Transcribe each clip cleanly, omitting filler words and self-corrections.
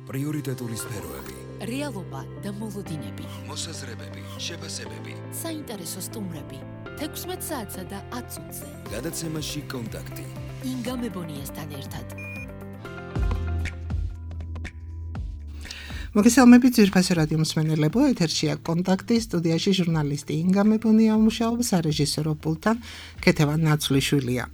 პრიორიტეტული სფეროები, რეალობა და მოლოდინები, მოსაზრებები, შეფასებები, საინტერესო სტუმრები, 16 საათსა და 10 წუთზე. გადაცემაში კონტაქტი. ინგა მებონიასთან ერთად. მოგესალმებით ძვირფასი რადიო მსმენელებო, ეთერშია კონტაქტი, სტუდიაში ჟურნალისტი ინგა მებონია მუშაობს, სარეჟისორო პულტთან ქეთევან ნაცვლიშვილია.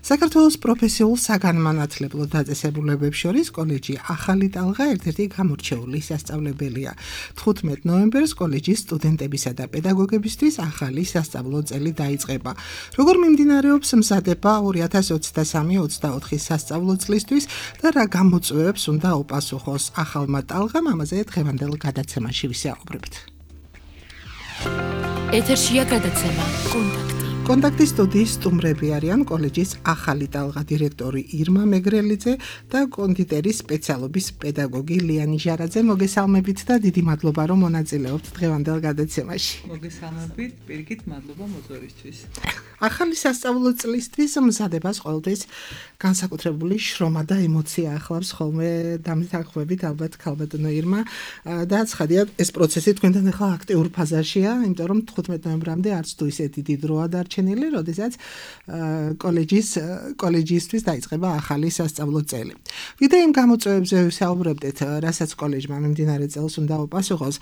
საქართველოს პროფესიულ საგანმანათლებლო დაწესებულებებს შორის კოლეჯი ახალი ტალღა ერთ-ერთი გამორჩეული სასწავლებელია. 15 ნოემბერს კოლეჯის სტუდენტებისა და პედაგოგებისთვის ახალი სასწავლო წელი დაიწყება. როგორ მიმდინარეობს მზადება 2023-24 სასწავლო წლისთვის და რა გამოწვევებს უნდა უპასუხოს ახალმა ტალღამ, ამაზე დღევანდელ გადაცემაში ვისაუბრებთ. ეთერშია გადაცემა კონტაქტი. კონტაქტის სტუდიის სტუმრები არიან კოლეჯის ახალი ტალღა დირექტორი ირმა მეგრელიძე და კონდიტერის სპეციალობის პედაგოგი ლიანი ჟარაძე. მოგესალმებით და დიდი მადლობა რომ მონაწილეობთ დღევანდელ გადაცემაში. მოგესალმებით, პირიქით მადლობა მოწვევისთვის. ახალი სასწავლო წლისთვის მზადებას ყოველთვის განსაკუთრებული შრომა და ემოცია ახლავს ხოლმე დამთანხმებით ალბათ ქალბატონო ირმა და ცხადია ეს პროცესი თქვენთან ახლა აქტიურ ფაზაშია, იმიტომ რომ 15 ნოემბრამდე არც თუ ისეთი დიდი დროა დარჩენილი, როდესაც კოლეჯისთვის დაიწყება ახალი სასწავლო წელი. ვიდრე იმ გამოწვევებზე ვისაუბრებდით, რასაც კოლეჯმა მიმდინარე წელს უნდა უპასუხოს,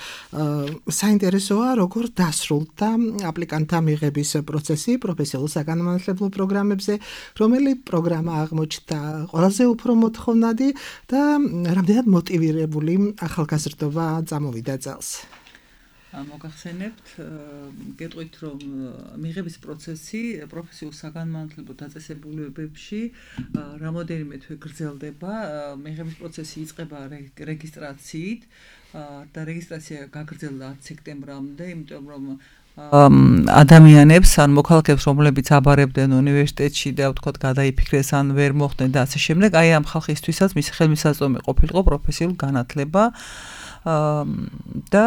საინტერესოა როგორ დასრულდა აპლიკანტთა მიღების პროცესი პროფესიულ საგანმანათლებლო პროგრამებზე, რომელი პროგრამა აღმოჩნდა ყველაზე უფრო მოთხოვნადი და რამდენად მოტივირებული ახალგაზრდობა წამოვიდა წელს. მოგახსენებთ, გეტყვით რომ მიღების პროცესი პროფესიულ საგანმანათლებლო დაწესებულებებში რამოდენიმე თვე გრძელდება. მიღების პროცესი იწყება რეგისტრაციით და რეგისტრაცია გაგრძელდა 10 სექტემბრამდე, იმიტომ რომ ადამიანებს ან მოქალაქეებს, რომლებიც აბარებდნენ უნივერსიტეტში და ვთქვათ გადაიფიქრეს ან ვერ მოხდნენ და ასე შემდეგ, აი ამ ხალხისთვისაც მის ხელმისაწვდომი ყოფილიყო პროფესიულ განათლება. და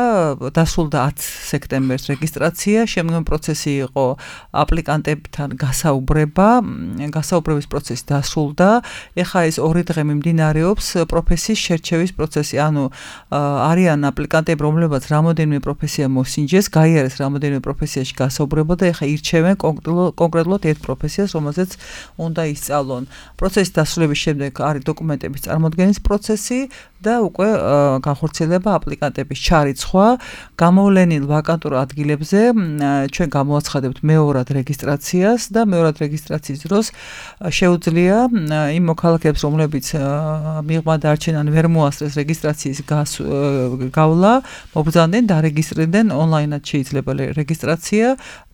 დასრულდა 10 სექტემბერს რეგისტრაცია, შემდგომ პროცესი იყო აპლიკანტებთან გასაუბრების პროცესი დასრულდა. ეხლა ეს 2 დღე მიმდინარეობს პროფესიის შერჩევის პროცესი, ანუ არიან აპლიკანტები, რომლებაც რამოდენიმე პროფესია მოსინჯეს, გაიარეს რამოდენიმე პროფესიაში გასაუბრება და ეხლა ირჩევენ კონკრეტულად ერთ პროფესიას, რომელზეც უნდა ისწავლონ. პროცესის დასრულების შემდეგ არის დოკუმენტების წარმოდგენის პროცესი და უკვე განხორციელება აპლიკანტების ჩარიცხვა. გამოვლენილ ვაკანტურ ადგილებზე ჩვენ გამოაცხადებთ მეორად რეგისტრაციას და მეორად რეგისტრაციის დროს შეუძლია იმ მოქალაქეებს, რომლებიც მიღმა დარჩენ ან ვერ მოასწრეს რეგისტრაციის გავლა, მობრძანდნენ დარეგისტრირდნენ ონლაინად შეიძლება რეგისტრაცია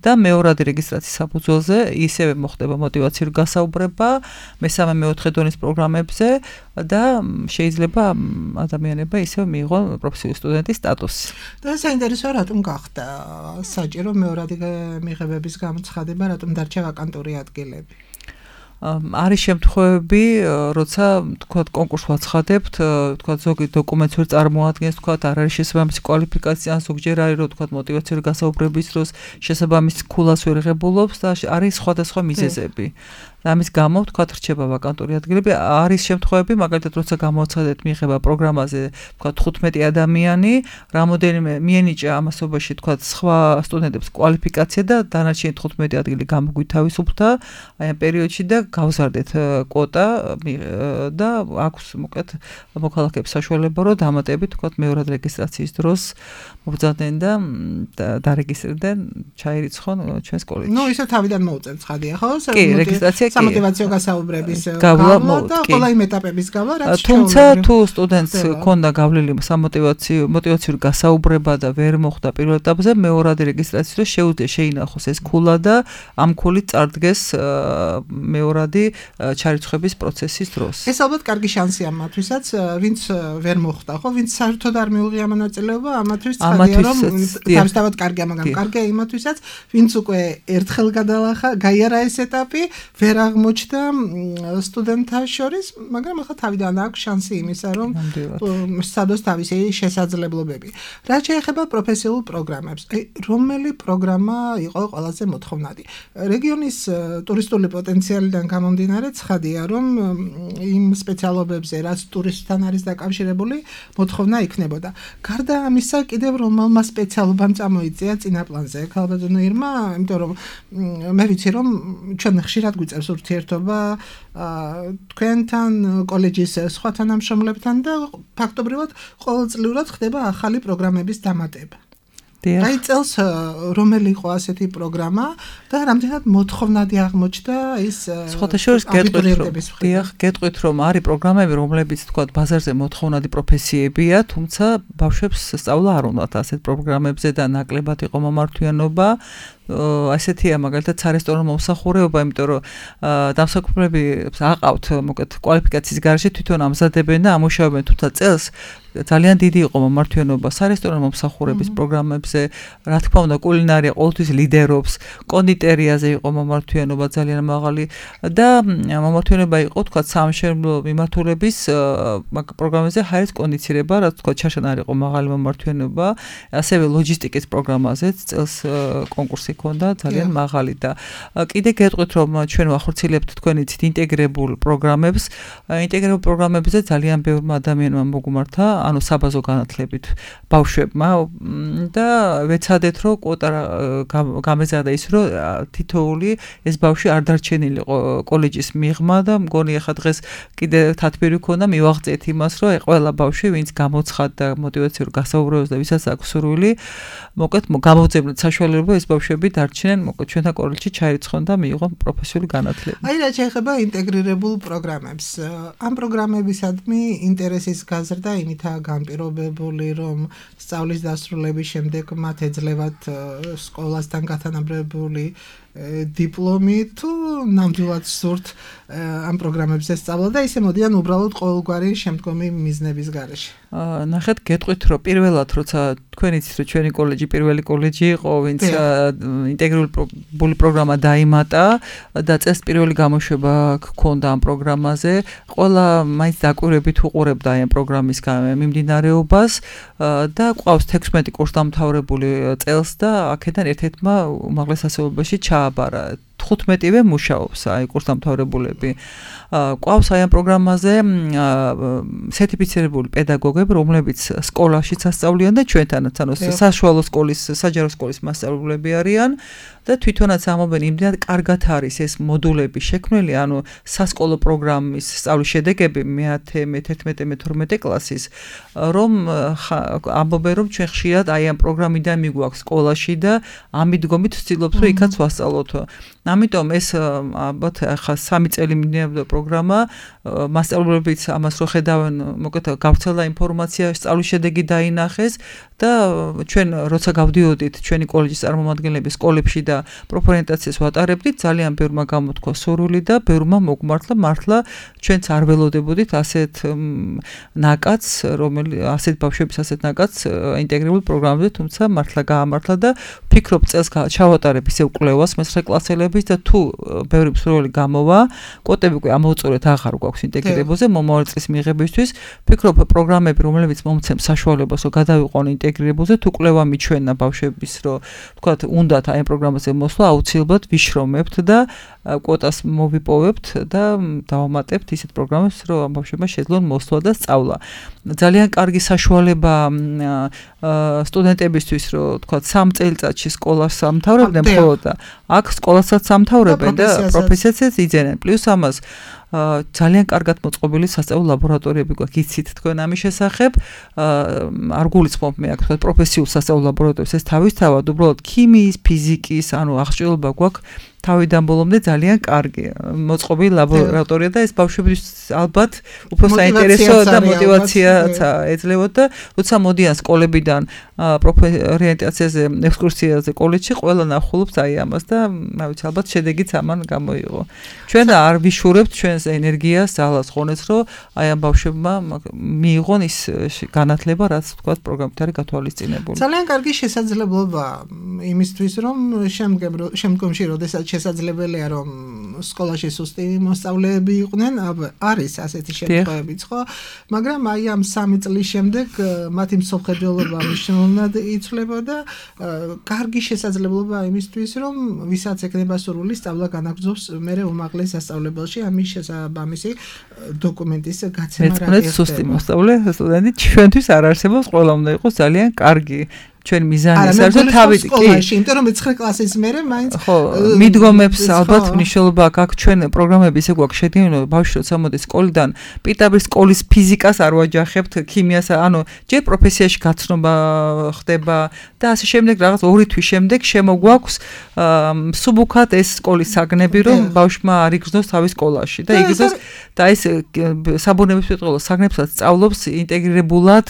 და მეორადი რეგისტრაციის საფუძველზე ისევე მოხდება მოტივაციური გასაუბრება მესამე მეოთხე დონის პროგრამებზე და შეიძლება ადამიანება ისევ მიიღო პროფესიული სტუდენტის სტატუსი. და საინტერესოა რატომ გახდა საჭირო მეორადი მიღებების გამოცხადება, რატომ დარჩა ვაკანტური ადგილები? არის შემთხვევები, როცა თქვათ კონკურსს ვაცხადებთ, თქვათ ზოგი დოკუმენტს ვერ წარმოადგენს, თქვათ არ არის შესაბამისი კვალიფიკაცია, ან ზოგჯერ არის რომ თქვათ მოტივაციური გასაუბრების დროს შესაბამის ქულას ვერ ღებულობს და არის სხვადასხვა მიზეზები. ამის გამო თქვათ რჩება ვაკანტური ადგილები. არის შემთხვევები, მაგალითად როცა გამოაცხადეთ მიღება პროგრამაზე, თქვათ 15 ადამიანი, რამოდენიმე მიენიჭა ამასობაში თქვათ სხვა სტუდენტებს კვალიფიკაცია და დანარჩენი 15 ადგილი გამოგვითავისუფლდა აი ამ პერიოდში და გავზარდეთ კვოტა და აქვს მოკლედ მოქალაქეებს საშუალება რომ დამატებით თქვათ მეორად რეგისტრაციის დროს მობრძანდნენ და დარეგისტრირდნენ, ჩაირიცხონ ჩვენს კოლეჯში. ნუ ისე თავიდან მოუწევთ ცხადია, ხო? კი, რეგისტრაცია სამოტივაციო გასაუბრების გავლა და ყველა იმ ეტაპების გავლა, რაც თუმცა თუ სტუდენტს ჰქონდა გავლილი მოტივაციური გასაუბრება და ვერ მოხვდა პირველ ეტაპზე, მეორადი რეგისტრაციის დროს შეუძლია შეინახოს ეს ქულა და ამ ქულით წარდგეს მეორადი ჩარიცხვის პროცესის დროს. ეს ალბათ კარგი შანსია მათთვისაც, ვინც ვერ მოხვდა, ხო, ვინც საერთოდ არ მიუღია მონაწილეობა, ამათთვის ცხადია რომ თავისთავად კარგია, მაგრამ კარგია იმათვისაც, ვინც უკვე ერთხელ გაიარა ეს ეტაპი, ვერ ვერ აღმოჩნდა სტუდენტთა შორის, მაგრამ ახლა თავიდან აქვს შანსი იმისა, რომ სცადოს თავისი შესაძლებლობები. რაც შეეხება პროფესიულ პროგრამებს, რომელი პროგრამა იყო ყველაზე მოთხოვნადი? რეგიონის ტურისტული პოტენციალიდან გამომდინარე, ცხადია, რომ იმ სპეციალობებზე, რაც ტურისტთან არის დაკავშირებული, მოთხოვნა იქნებოდა. გარდა ამისა, კიდევ რომელმა სპეციალობამ წამოიწია წინაპლანზე ქალბატონო ირმა, იმიტომ რომ მე ვიცი, რომ ჩვენ ხშირად გვიწევს ურთიერთობა თქვენთან, კოლეჯის სხვა თანამშრომლებთან და ფაქტობრივად ყოველწლიურად ხდება ახალი პროგრამების დამატება. აი წელს რომელი იყო ასეთი პროგრამა და რამდენად მოთხოვნადი აღმოჩნდა ის გეტყვით რომ არის პროგრამები, რომლებიც თქვა ბაზარზე მოთხოვნადი პროფესიებია, თუმცა ბავშვებს სწავლა არ უნდათ ასეთ პროგრამებზე და ნაკლებად იყო მომართვიანობა. ასეთია მაგალითად სარესტორანო მომსახურება, იმიტომ რომ დამსაქმებლები აყავთ მოკეთ კვალიფიკაციის გარეშე თვითონ ამზადებენ და ამუშავებენ, თუმცა წელს ძალიან დიდი იყო მომართვიანობა სარესტორანო მომსახურების პროგრამებზე, რა თქმა უნდა კულინარია ყოველთვის ლიდერობს, კონდიტერიაზე იყო მომართვიანობა ძალიან მაღალი და მომართვიანობა იყო თქვა სამშენებლო მიმართულების პროგრამაზე ჰაერის კონდიცირება, რაც თქვა ჩაშანა არ იყო მაღალი მომართვიანობა, ასევე ლოჯისტიკის პროგრამაზეც წელს კონკურსი ქონდა ძალიან მაღალი და კიდე გეტყვით რომ ჩვენ ვახორციელებთ თქვენი ცით ინტეგრებულ პროგრამებს. ინტეგრებულ პროგრამებზე ძალიან ბევრმა ადამიანმა მოგუმართა, ანუ საბაზო განათლებით ბავშვებმა და ვეცადეთ რომ კვოტა გამეზარდა ის რომ თითოეული ეს ბავშვი არ დარჩენილიყო კოლეჯის მიღმა და მგონი ახლა დღეს კიდე თათბირი ქონდა მივაღწიეთ იმას რომ ყველა ბავშვი ვინც გამოცხადდა მოტივაციურ გასაუბრებას და ვისაც აქვს სურვილი მოკეთ გამოძებნოთ საშუალება ეს ბავშვები დარჩნენ მოკეთ ჩვენთან კოლეჯში ჩაირიცხონ და მიიღონ პროფესიული განათლება. აი რა შეეხება ინტეგრირებულ პროგრამებს. ამ პროგრამებისადმი ინტერესის გაზრდა იმითაა განპირობებული, რომ სწავლის დასრულების შემდეგ მათ ეძლევათ სკოლასთან გათანაბრებული დიპლომი თუ ნამდვილად სურთ ამ პროგრამებზე სწავლა და ისე მოდიან უბრალოდ ყოველგვარი შემდგომი მიზნების გარეშე. ნახეთ გეტყვით რომ პირველად როცა თქვენ იცით რომ ჩვენი კოლეჯი პირველი კოლეჯი იყო ვინც ინტეგრირებული პროგრამა დაიმატა და წელს პირველი გამოშვება ჰქონდა ამ პროგრამაზე ყველა მაინც დაკვირვებით უყურებდა ამ პროგრამის მიმდინარეობას და ყავს 16 კურსდამთავრებული წელს და აქედან ერთ-ერთმა უმაღლეს სასწავლებელში ჩააბარა 15-ვე მუშაობს აი კურსდამთავრებულები. ყავს აი ამ პროგრამაზე სერტიფიცირებული პედაგოგები, რომლებიც სკოლაშიც ასწავლიან და ჩვენთანაც, ანუ საშუალო სკოლის, საჯარო სკოლის მასწავლებლები არიან და თვითონაც ამობენ იმდენად კარგად არის ეს მოდულები შექმნილი, ანუ სასკოლო პროგრამის სწავლის შედეგები მე-10, მე-11, მე-12 კლასის, რომ ამბობენ რომ ჩვენ ხშირად აი ამ პროგრამიდან მიგვაქვს სკოლაში და ამიდგომით ვცდილობთ რომ იქაც ვასწავლოთ. ამიტომ ეს ალბათ ახლა 3 წელი მიმდინარეობდა პროგრამა, მასწავლებლებიც ამას რო ხედავენ, მოკეთ გავრცელდა ინფორმაცია, სწავლის შედეგი დაინახეს და ჩვენ როცა გავდიოდით ჩვენი კოლეჯის წარმომადგენლები სკოლებში და პროფორიენტაციას ვატარებდით, ძალიან ბევრმა გამოთქვა სურვილი და ბევრმა მოგმართლა, მართლა ჩვენც არ ველოდებოდით ასეთ ნაკადს, ასეთ ბავშვების ასეთ ნაკადს ინტეგრირებულ პროგრამებზე, თუმცა მართლა გაამართლა და ვფიქრობ წელს ჩავატარებ ისევ კვლევას მე-9 კლასელების და თუ ბევრი მსურველი გამოვა, კვოტები უკვე ამოვწურეთ აღარ გვაქვს ინტეგრირებულზე მომავალ წლის მიღებისთვის. ვფიქრობ პროგრამები, რომლებიც მომცემ საშუალებას რომ გადავიყვონ ინტეგრირებულზე, თუ კვლევა მიჩვენა ბავშვების, რომ თქვათ, უნდათ აი ამ პროგრამაზე მოსვლა, აუცილებლად ვიშრომებთ და კვოტას მოვიპოვებთ და დავამატებთ ისეთ პროგრამებს, რომ ამ ბავშვებმა შეძლონ მოსვლა და სწავლა. ძალიან კარგი საშუალება სტუდენტებისთვის, რომ თქვათ 3 წელიწადში სკოლას ამთავრებდნენ მხოლოდ და აქ სკოლასაც ამთავრებენ და პროფესიასაც იძენენ. პლუს ამას ძალიან კარგად მოწყობილი სასწავლო ლაბორატორიები გვაქვს, იცით თქვენ ამის შესახებ, არ გულისხმობ მე აქ თქვათ პროფესიულ სასწავლო ლაბორატორიებს, ეს თავისთავად უბრალოდ ქიმიის, ფიზიკის, ანუ აღჭურვილობა გვაქვს თავიდან ბოლომდე ძალიან კარგი მოწყობილი ლაბორატორია და ეს ბავშვების ალბათ უფრო საინტერესო და მოტივაციაც ეძლევათ და როცა მოდიან სკოლებიდან პროფორიენტაციაზე, ექსკურსიაზე კოლეჯში, ყველა ნახულობს აი ამას და რა ვიცი, ალბათ შედეგიც ამან გამოიღო. ჩვენ არ ვიშურებთ ჩვენს ენერგიას, ძალას, ღონეს, რომ აი ამ ბავშვებმა მიიღონ ის განათლება, რაც თქვათ პროგრამით არის გათვალისწინებული. ძალიან კარგი შესაძლებლობა იმისთვის, რომ შემდგომში, როდესაც შესაძლებელია რომ სკოლაში სუსტი მოსწავლეები იყვნენ, არის ასეთი შემთხვევებიც, ხო? მაგრამ აი ამ 3 წლის შემდეგ მათი მსოფლმხედველობა მნიშვნელოვნად იცვლება და კარგი შესაძლებლობა იმისთვის, რომ ვისაც ეკნება სურვილი სწავლა განაგრძობს მერე უმაღლეს სასწავლებელში, ამის შესაბამისი დოკუმენტის გაცემა რა ერთად. სუსტი მოსწავლე სტუდენტი ჩვენთვის არ არსებობს, ყველა უნდა იყოს ძალიან კარგი. ჩვენ მიზანი ეს არის და თავი კი იმიტომ რომ 9 კლასის მერე მაინც ხო მიდგომებს ალბათ მნიშვნელობა აქვს ჩვენ პროგრამები ისე გვაქვს შედგენილი ბავშვი როცა მოდის სკოლიდან პირდაპირ სკოლის ფიზიკას არ ვაჯახებთ ქიმიას ანუ ჯერ პროფესიაში გაცნობა ხდება და ასე შემდეგ რაღაც 2 თვის შემდეგ შემოგვაქვს მსუბუქად ეს სკოლის საგნები რომ ბავშვმა არ იგრძნოს თავის სკოლაში და იგრძნოს და ეს საბუნებისმეტყველო საგნებსაც სწავლობს ინტეგრირებულად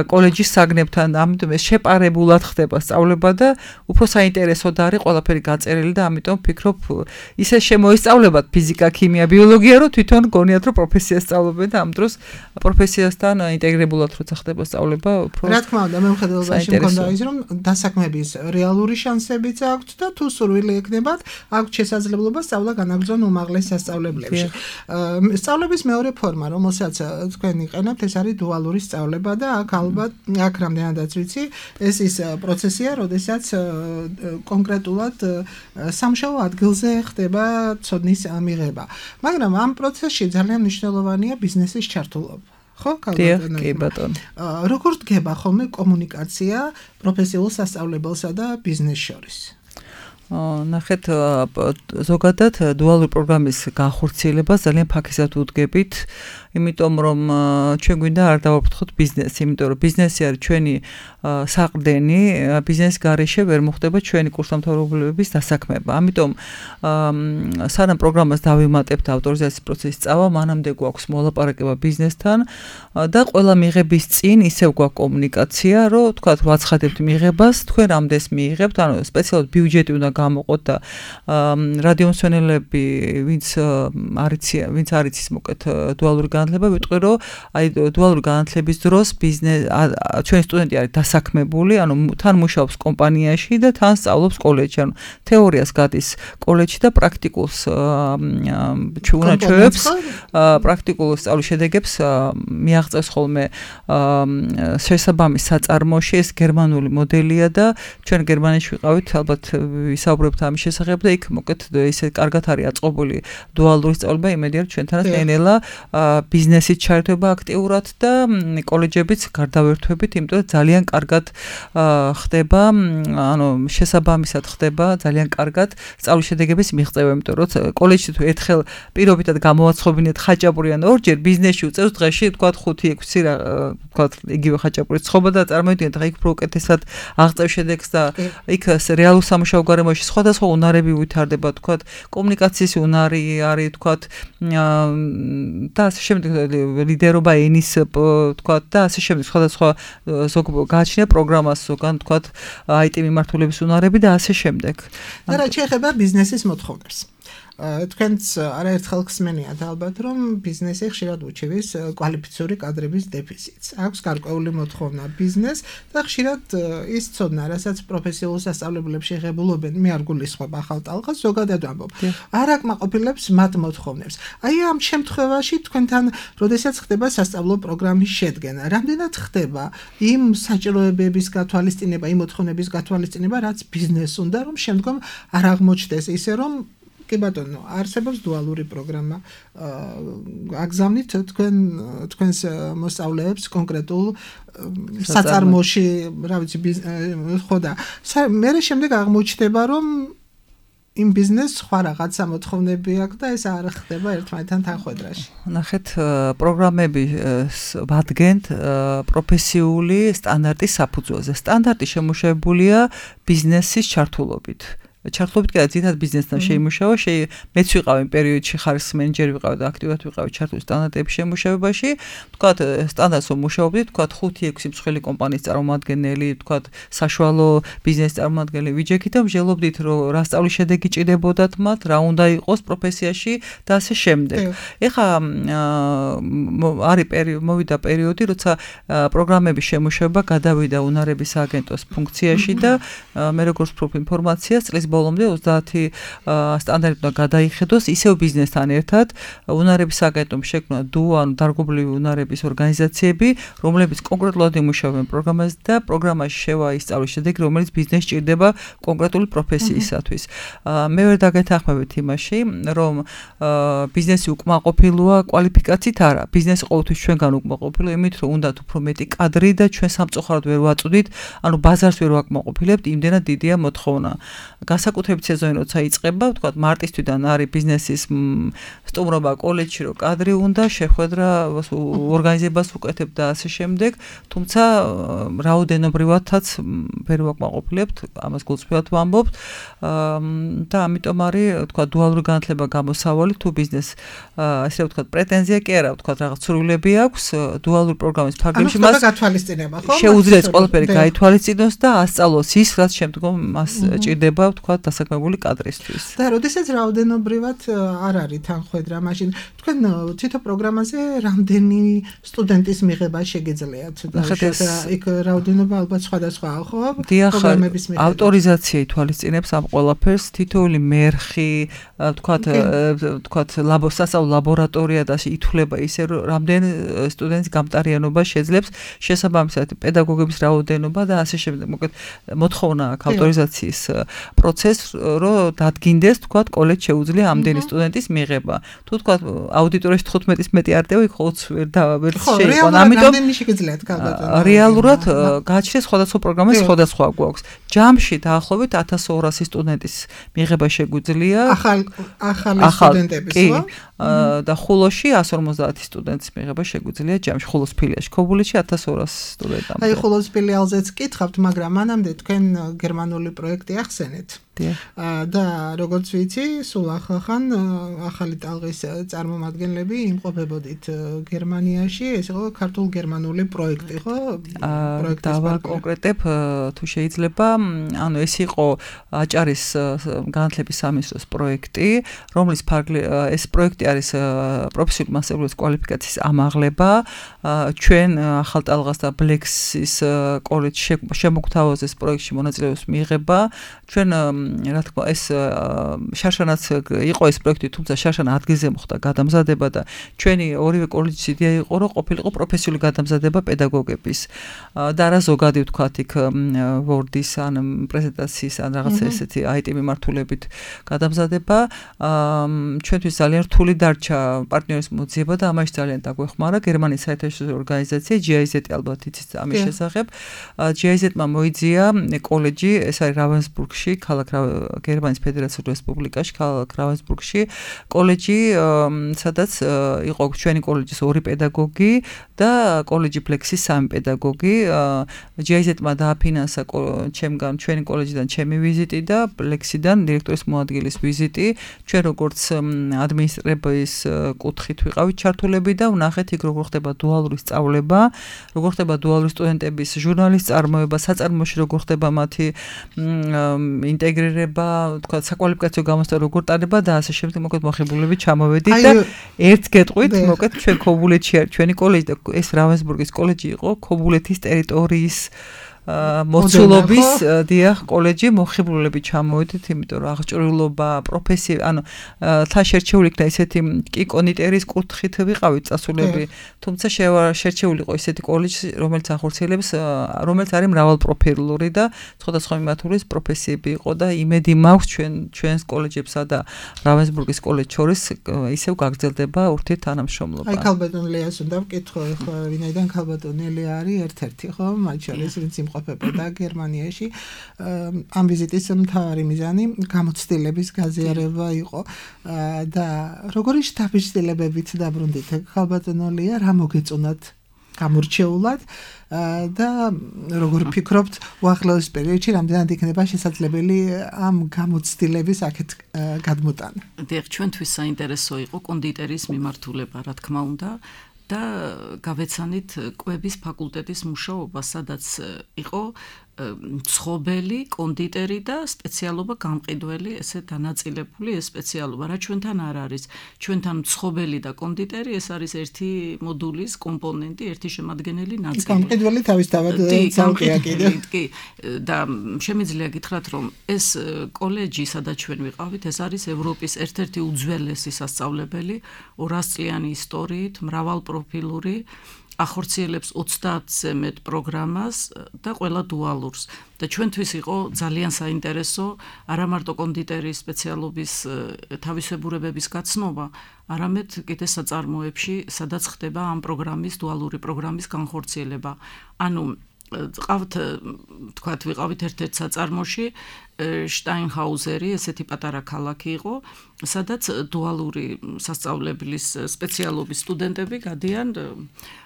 კოლეჯის საგნებთან ამიტომ ეს შეპარებულად ხდება სწავლება და უფრო საინტერესოდ არის ყველაფერი გაწერილი და ამიტომ ვფიქრობ ისე შემოისწავლებათ ფიზიკა, ქიმია, ბიოლოგია რომ თვითონ გონიათ რომ პროფესიას სწავლობენ და ამ დროს პროფესიასთან ინტეგრირებულად როცა ხდება სწავლება უფრო რა თქმა უნდა მე მხედველობაში მქონდა ის რომ დასაქმების რეალური შანსებიც აქვთ და თუ სურვილი ექნებათ აქვთ შესაძლებლობა სწავლა განაგრძონ უმაღლეს სასწავლებლებში სწავლების მეორე ფორმა რომელსაც თქვენ იყენებთ ეს არის დუალური სწავლება და აქ ალბათ აქ რამდენადაც ვიცი ეს ის პროცესია როდესაც კონკრეტულად სამშობლო ადგილზე ხდება ცოდნის მიღება მაგრამ ამ პროცესში ძალიან მნიშვნელოვანია ბიზნესის ჩართულობა ხო კი ბატონო როგორ დგება ხოლმე კომუნიკაცია პროფესიულ სასწავლებელსა და ბიზნეს შორის ნახეთ ზოგადად დუალური პროგრამის განხორციელება ძალიან ფაქიზად უდგებით იმიტომ რომ ჩვენ გვინდა არ დავაფრთხოთ ბიზნესი იმიტომ რომ ბიზნესი არის ჩვენი საყრდენი ბიზნეს გარეშე ვერ მოხდება ჩვენი კურსდამთავრებულების დასაქმება ამიტომ სანამ პროგრამას დავიმატებთ ავტორიზაციის პროცესის წავა მანამდე გვაქვს მოლაპარაკება ბიზნესთან და ყველა მიღების წინ ისევ გვაქვს კომუნიკაცია რომ თქვა ვაცხადებთ მიღებას თქვენ რამდენს მიიღებთ ანუ სპეციალურად ბიუჯეტი უნდა გამოყოთ და რადიომსვენელები ვინც არ იცის მოკეთ დუალური განათლება ვიტყვი რომ აი დუალური განათლების დროს ბიზნეს ჩვენი სტუდენტი არის დასაქმებული ანუ თან მუშაობს კომპანიაში და თან სწავლობს კოლეჯში ანუ თეორიას გადის კოლეჯში და პრაქტიკულს ჩვენებს პრაქტიკულ სწავლის შედეგებს მიაღწევს ხოლმე შესაბამის საწარმოში ეს გერმანული მოდელია და ჩვენ გერმანიაში ვიყავით ალბათ ვისაუბრებთ ამის შესახებ და იქ მოკეთ ისე კარგად არის აწყობილი დუალური სწავლება იმედია ჩვენთანაც ნელ-ნელა ბიზნესით ჩართვება აქტიურად და კოლეჯებიც გარდავერთვებით, იმიტომ რომ ძალიან კარგად ხდება, ანუ შესაბამისად ხდება ძალიან კარგად სწავლის შედეგების მიღწევა, იმიტომ რომ კოლეჯში თუ ერთხელ პირობითად გამოვაცხობინეთ ხაჭაპური ან ორჯერ ბიზნესში უწევს დღეში თქვა 5-6 რა თქვა იგივე ხაჭაპურის ცხობა და წარმოიდგინეთ რა იქ უფრო უკეთესად აღწევ შედეგს და იქ რეალურ სამუშაო გარემოში სხვადასხვა უნარები ვითარდება, თქვა კომუნიკაციის უნარი არის, თქვა და ასე შემდეგ ლიდერობა ენის თქვა და ასე შემდეგ სხვადასხვა ზოგ გააჩნია პროგრამას ზოგან თქვა IT მიმართულების უნარები და ასე შემდეგ. და რა შეეხება ბიზნესის მოთხოვნებს. თქვენც არაერთხელ ხსმენიათ ალბათ რომ ბიზნესი ხშირად უჩივის კვალიფიციური კადრების დეფიციტს. აქვს გარკვეული მოთხოვნა ბიზნეს და ხშირად ის ცოდნა, რასაც პროფესიულ სასწავლებლებში ღებულობენ, მე არ გულისხმობ ახალ ტალღას, ზოგადად ვამბობ. არ აკმაყოფილებს მათ მოთხოვნებს. აი ამ შემთხვევაში თქვენთან, როდესაც ხდება სასწავლო პროგრამის შედგენა, რამდენად ხდება იმ საჭიროებების გათვალისწინება, იმ მოთხოვნების გათვალისწინება, რაც ბიზნესს უნდა, რომ შემდგომ არ აღმოჩნდეს ისე რომ კი ბატონო, არსებობს დუალური პროგრამა. აგზავნით თქვენს მოსწავლეებს კონკრეტულ საწარმოში, რა ვიცი, ხო და მე შემდეგ აღმოჩნდება, რომ იმ ბიზნესს სხვა რაღაცა მოთხოვნები აქვს და ეს არ ხდება ერთმანეთთან თანხვედრაში. ნახეთ, პროგრამები ვადგენთ პროფესიული სტანდარტის საფუძველზე. სტანდარტი შემუშავებულია ბიზნესის ჩართულობით. ჩართულობით კი ძირითადად ბიზნესთან შეიმუშავა, მეც ვიყავი პერიოდში ხარისხის მენეჯერი ვიყავი და აქტიურად ვიყავი ჩართული სტანდარტების შემუშავებაში. ვთქვათ, სტანდარტს ვმუშაობდით, ვთქვათ 5-6 მსხვილი კომპანიის წარმომადგენელი, ვთქვათ, საშუალო ბიზნესის წარმომადგენელი ვიჯექით და ვჟელობდით, რომ რა სწავლის შედეგი ჭირდებოდათ მათ, რა უნდა იყოს პროფესიაში და ასე შემდეგ. ეხლა მოვიდა პერიოდი, როცა პროგრამების შემუშავება გადავიდა უნარების სააგენტოს ფუნქციაში და მე როგორც ვფიქრობ ინფორმაციას წლის ბოლომდე 30 სტანდარტი უნდა გადაიხედოს ისევ ბიზნესთან ერთად უნარების აგენტომ შექმნა ანუ დარგობრივი უნარების ორგანიზაციები, რომლებიც კონკრეტულად იმუშავებენ პროგრამაზე და პროგრამაში შევაისწავლოს შედეგი, რომელიც ბიზნესს ჭირდება კონკრეტული პროფესიისათვის. მე ვერ დაგეთანხმებით იმაში, რომ ბიზნესი უკმაყოფილოა კვალიფიკაციით არა. ბიზნესი ყოველთვის ჩვენგან უკმაყოფილოა იმით, რომ უნდათ უფრო მეტი კადრი და ჩვენ სამწუხაროდ ვერ ვაწვდით, ანუ ბაზარს ვერ ვაკმაყოფილებთ, იმდენად დიდია მოთხოვნა. განსაკუთრებით სეზონი როცა იწყება, ვთქვათ, მარტის თვიდან არის ბიზნესის სტუმრობა კოლეჯში, რომ კადრი უნდა, შეხვედრა ორგანიზებას უკეთებ და ასე შემდეგ, თუმცა რაოდენობრივადაც ვერ ვაკმაყოფილებთ, ამას გულწრფელად ვამბობთ და ამიტომ არის, ვთქვათ, დუალური განათლება გამოსავალი თუ ბიზნეს ასე ვთქვათ, პრეტენზია კი არა, ვთქვათ, რაღაც ცრულები აქვს დუალური პროგრამის ფარგლებში მას გათვალისწინება, ხო? შეუძლია ყველაფერი გაითვალისწინოს და ასწავლოს ის, რაც შემდგომ მას ჭირდება, ვთქვათ, დასაქმებული კადრისთვის. და როდესაც რაოდენობრივად არ არის თანხმედრა, მაშინ თქვენ თვითონ პროგრამაზე რამდენი სტუდენტის მიღება შეგიძლიათ? იქ რაოდენობა ალბათ სხვადასხვაა, ხო? პროგრამების მიღება. ავტორიზაცია ითვალისწინებს ამ ყველაფერს, თითოეული მერხი, ვთქვათ, სასწავლო ლაბორატორია და ითვლება ისე, რომ რამდენ სტუდენტის გამტარიანობა შეძლებს შესაბამისად პედაგოგების რაოდენობა და ასე შემდეგ. მოკლედ მოთხოვნა აქვს ავტორიზაციის პროცესს, რომ დადგინდეს, ვთქვათ, კოლეჯს შეუძლია ამდენი სტუდენტის მიღება. თუ ვთქვათ, აუდიტორიაში 15-ის მეტი არტია იქ 20 ვერ შეიყვანა. ამიტომ რეალურად გააჩნია სხვადასხვა პროგრამას სხვადასხვა გვაქვს. ჯამში დაახლოებით 1200 სტუდენტის მიღება შეგვიძლია. ახალი სტუდენტების, ხო? და ხულოში 150 სტუდენტის მიღება შეგვიძლია ჯამში ხულოს ფილიალში. ქობულეთში 1200 სტუდენტამდე. აი ხულოს ფილიალზეც კითხავთ, მაგრამ მანამდე თქვენ გერმანული პროექტი ახსენეთ. და როგორც ვიცი, სულ ახლახან ახალი ტალღის წარმომადგენლები იმყოფებოდით გერმანიაში, ეს იყო ქართულ-გერმანული პროექტი, ხო? დავაკონკრეტებ, თუ შეიძლება, ანუ ეს იყო აჭარის განათლების სამინისტროს პროექტი, რომლის ეს პროექტი არის პროფესიული მასწავლებლის კვალიფიკაციის ამაღლება. ჩვენ ახალ ტალღას და ბლექსის კოლეჯში შემოგთავაზეს ეს პროექტში მონაწილეობის მიღება. ჩვენ რა თქმა ეს შარშანაც იყო ეს პროექტი, თუმცა შარშანა ადგილზე მოხდა გადამზადება და ჩვენი ორივე კოლეჯის იდეა იყო, რომ ყოფილიყო პროფესიული გადამზადება პედაგოგების და რა ზოგადი ვთქვათ იქ ვორდის ან პრეზენტაციის ან რაღაცა ესეთი IT მიმართულებით გადამზადება. ჩვენთვის ძალიან რთული დარჩა პარტნიორის მოძიება და ამაში ძალიან დაგვეხმარა გერმანიის საერთაშორისო ორგანიზაცია GIZ, ალბათ იცით ამის შესახებ. GIZ-მა მოიძია კოლეჯი, ეს არის რავენსბურგში, ქალაქ გერმანიის ფედერაციულ რესპუბლიკაში, ქალაქ რავენსბურგში, კოლეჯი, სადაც იყო ჩვენი კოლეჯის 2 პედაგოგი და კოლეჯი ფლექსის 3 პედაგოგი. GIZ-მა დააფინანსა ჩემგან ჩვენი კოლეჯიდან ჩემი ვიზიტი და ფლექსიდან დირექტორის მოადგილის ვიზიტი. ჩვენ როგორც ადმინისტრების კუთხით ვიყავით ჩართულები და ვნახეთ იქ როგორ ხდება დუალური სწავლება, როგორ ხდება დუალური სტუდენტების ჟურნალის წარმოება, საწარმოში როგორ ხდება მათი ინტეგრირება, თქვა საკვალიფიკაციო გამოცდა როგორ ტარდება და ასე შემდეგ. მოკლედ მოხიბლულები ჩამოვედით და ერთ გეტყვით, მოკლედ ჩვენ ქობულეთში არის ჩვენი კოლეჯი და ეს რავენსბურგის კოლეჯი იყო ქობულეთის ტერიტორიის მოცულობის დიახ კოლეჯი, მოხიბლულები ჩამოვედით, იმიტომ რომ აღჭურვილობა, პროფესია, ანუ თან შერჩეული იქნა ისეთი კი კონდიტერის კუთხით ვიყავით წასულები, თუმცა შერჩეული იყო ისეთი კოლეჯი, რომელიც ახორციელებს, რომელიც არის მრავალპროფილური და სხვადასხვა მიმართულის პროფესიები იყო და იმედი მაქვს ჩვენს კოლეჯებსა და რავენსბურგის კოლეჯს შორის ისევ გაგრძელდება ურთიერთთანამშრომლობა. აი ქალბატონ ლეას უნდა ვკითხო, ხო, ვინაიდან ქალბატონი ლეა არის ერთ-ერთი, ხო, მათ შორის ვინც ყოფებოდა გერმანიაში. ამ ვიზიტის მთავარი მიზანი გამოცდილების გაზიარება იყო და როგორი შთაბეჭდილებებით დაბრუნდით ქალბატონო ლეა, რა მოგეწონათ გამორჩეულად და როგორ ფიქრობთ უახლოეს პერიოდში რამდენად იქნება შესაძლებელი ამ გამოცდილების აქეთ გადმოტანა? დიახ, ჩვენთვის საინტერესო იყო კონდიტერის მიმართულება, რა თქმა უნდა. და გავეცანით კვების ფაკულტეტის მუშაობა, სადაც იყო მცხოველი, კონდიტერი და სპეციალობა გამყიდველი, ესე დანაწილებული ეს სპეციალობა. რა ჩვენთან არ არის? ჩვენთან მცხოველი და კონდიტერი ეს არის ერთი მოდულის კომპონენტი, ერთი შემადგენელი ნაწილი. გამყიდველი თავისთავად ცალკეა კიდე. კი, და შემიძლია გითხრათ, რომ ეს კოლეჯი, სადაც ჩვენ ვიყავით, ეს არის ევროპის ერთ-ერთი უძველესი სასწავლებელი, 200 წლიანი ისტორიით, მრავალპროფილური, ახორციელებს 30-ზე მეტ პროგრამას და ყველა დუალურს. და ჩვენთვის იყო ძალიან საინტერესო არა მარტო კონდიტერის სპეციალობის თავისებურებების გაცნობა, არამედ კიდე საწარმოებში, სადაც ხდება ამ პროგრამის, დუალური პროგრამის განხორციელება. ანუ ყავთ, თქვათ, ვიყავით ერთ-ერთ საწარმოში, შტაინჰაუზერი, ესეთი პატარა ქალაქი იყო, სადაც დუალური სასწავლებლის სპეციალობის სტუდენტები გადიან